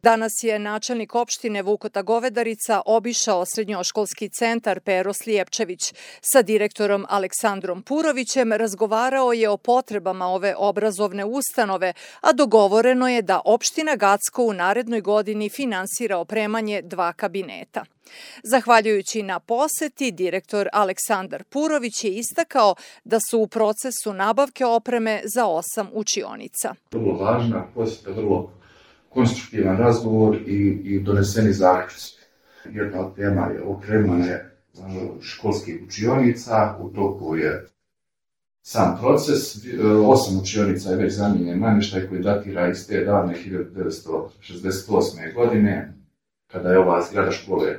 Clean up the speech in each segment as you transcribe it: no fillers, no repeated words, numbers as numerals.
Danas je načelnik opštine Vukota Govedarica obišao srednjoškolski centar Pero Slijepčević. Sa direktorom Aleksandrom Purovićem razgovarao je o potrebama ove obrazovne ustanove, a dogovoreno je da opština Gacko u narednoj godini finansira opremanje 2 kabineta. Zahvaljujući na poseti, direktor Aleksandar Purović je istakao da su u procesu nabavke opreme za 8 učionica. Vrlo važna posjeta, vrlo konstruktivan razgovor i doneseni zaključci. Jedna od tema je opremanje školskih učionica, u toku je sam proces. 8 učionica je već zamijenjen namještaj koji datira iz te davne 1968. godine, kada je ova zgrada škole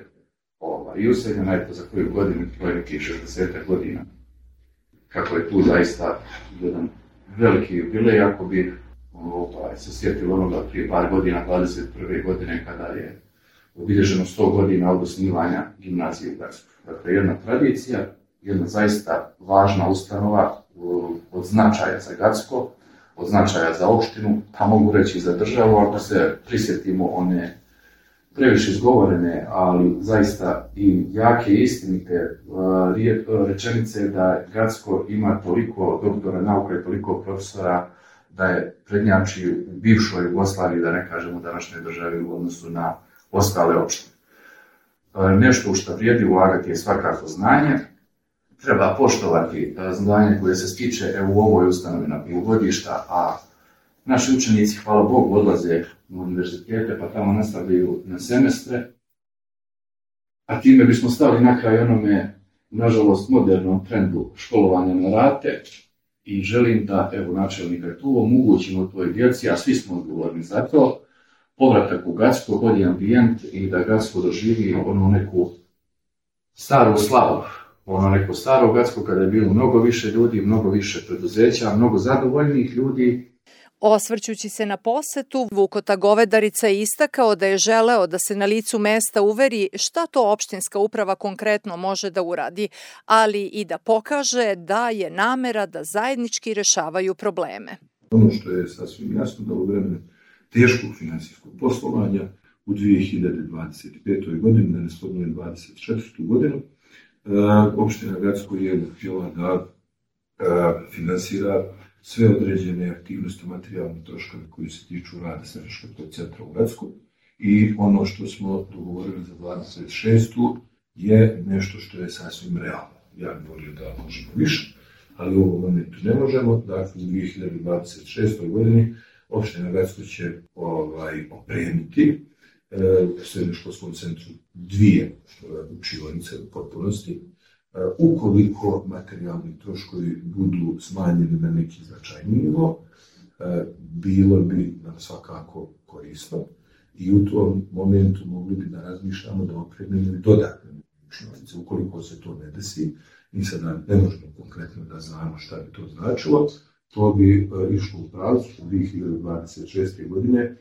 i useljena, je to za koju godinu, to je nekih 60 godina. Kako je tu zaista jedan veliki jubilej, ako bi se sjetilo onoga prije par godina, 21. godine, kada je obilježeno 100 godina od osnivanja gimnazije u Gacku. Dakle, jedna tradicija, jedna zaista važna ustanova od značaja za Gacko, od značaja za opštinu, pa mogu reći i za državu, ako se prisjetimo one previše izgovorene, ali zaista i jake i istinite rečenice da Gacko ima toliko doktora nauka i toliko profesora da je prednjači u bivšoj Jugoslaviji, da ne kažemo današnjoj državi u odnosu na ostale opštine. Nešto u što vrijedi ulagati je svakako znanje. Treba poštovati znanje koje se stiče u ovoj ustanovi na polugodišta, a naši učenici, hvala Bogu, odlaze u univerzitete pa tamo nastavljaju na semestre. A time bismo stali na kraj onome, nažalost, modernom trendu školovanja na rate. I želim da, evo, načelnika tu omogućimo toj djeci, a svi smo odgovorni za to, povratak u Gacko, bolji ambijent i da Gacko doživi ono neku staru slavu, ono neko staro Gacko kada je bilo mnogo više ljudi, mnogo više preduzeća, mnogo zadovoljnih ljudi. Osvrćući se na posetu, Vukota Govedarica je istakao da je želeo da se na licu mesta uveri šta to opštinska uprava konkretno može da uradi, ali i da pokaže da je namera da zajednički rešavaju probleme. Ono što je sasvim jasno da u vremenu teškog finansijskog poslovanja u 2025. godini, da ne spominjem 2024. godinu, opština Gacko je htjela da finansira sve određene aktivnosti, materijalne troškove koji se tiču rada srednjoškolskog centra u Gacku i ono što smo dogovorili za 26. je nešto što je sasvim realno. Ja bih volio da možemo više, ali u ovom momentu ne možemo. Dakle, u 2026. godini opština Gacko će opremiti u srednjoškolskom centru 2 učionice u potpunosti. Ukoliko materijalni troškovi budu smanjeni na neki značajniji nivo, bilo bi nam svakako korisno i u tom momentu mogli bi da razmišljamo da opremimo i dodatne učionice. Ukoliko se to ne desi, mi sada ne možemo konkretno da znamo šta bi to značilo, to bi išlo u pravcu 2026. godine.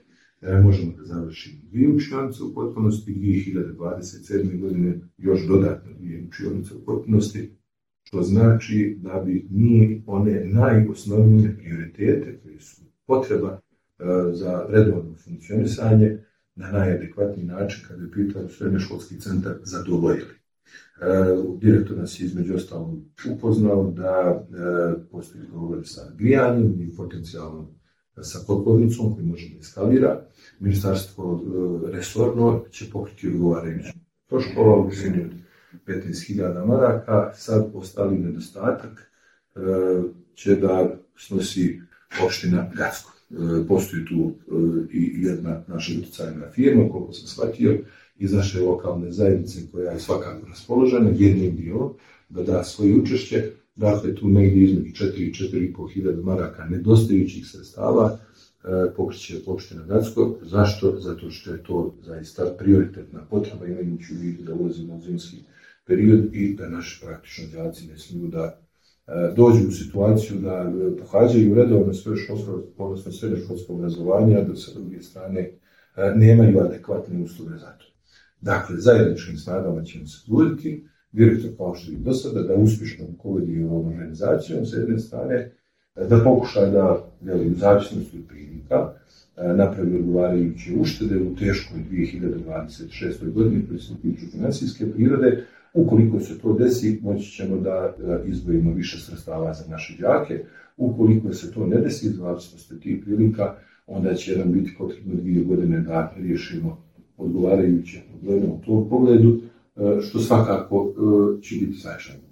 Možemo da završimo 2 učionice u potpunosti, 2027. godine još dodatno 2 učionice u potpunosti, što znači da bi mi one najosnovnije prioritete koje su potreba za redovno funkcionisanje na najadekvatniji način, kada je pitao srednjoškolski centar, zadovoljili. Direktor nas je između ostalog upoznao da postoji dogovor sa grijanjem i potencijalnom sa kotlovnicom koji može da eskalira. Ministarstvo resorno će pokriti odgovarajući troškova u visini od 15.000 maraka. Sad ostali nedostatak će da snosi opština Gacko. Postoji tu i jedna naša utjecajna firma, koliko sam shvatio, iz naše lokalne zajednice koja je svakako raspoložena jednim dijelom da da svoje učešće. Dakle, tu negdje između 4 i 4.500 hiljada maraka nedostajućih sredstava pokriće opština Gacko. Zašto? Zato što je to zaista prioritetna potreba, imajući u vidu da ulazimo u zimski period i da naši praktično đaci ne smiju da dođu u situaciju da pohađaju redovno srednjoškolsko obrazovanje, a da sa druge strane nemaju adekvatne uslove za to. Dakle, zajedničkim snagama ćemo se truditi, direktor kao što i do sada, da uspješno rukovodi ovom organizacijom s jedne strane, da pokuša da u zavisnosti od prilika napravi odgovarajuće uštede u teškoj 2026. godini koji se tiču financijske prirode. Ukoliko se to desi, moći ćemo da izdvojimo više sredstava za naše đake. Ukoliko se to ne desi, zavisno tih prilika, onda će nam biti potrebno 2 godine da riješimo odgovarajuće probleme u tom pogledu, što svakako će biti značajno.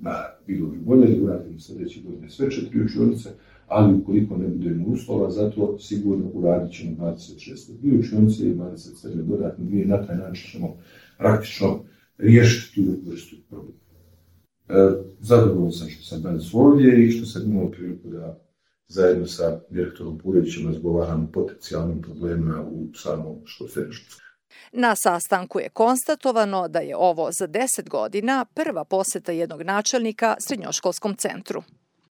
Bilo bi bolje da uradimo sljedeće godine sve 4 učionice, ali ukoliko ne budemo uslova, zato sigurno uradit ćemo 26 2 učionice i 27 dodatne 2, na taj način ćemo praktično riješiti tu vrstu problema. Zadovoljan sam što sam danas ovdje i što sam imao priliku da zajedno sa direktorom Purovićem razgovaramo o potencijalnim problemima u samom srednjoškolskom. Na sastanku je konstatovano da je ovo za 10 godina prva poseta jednog načelnika srednjoškolskom centru.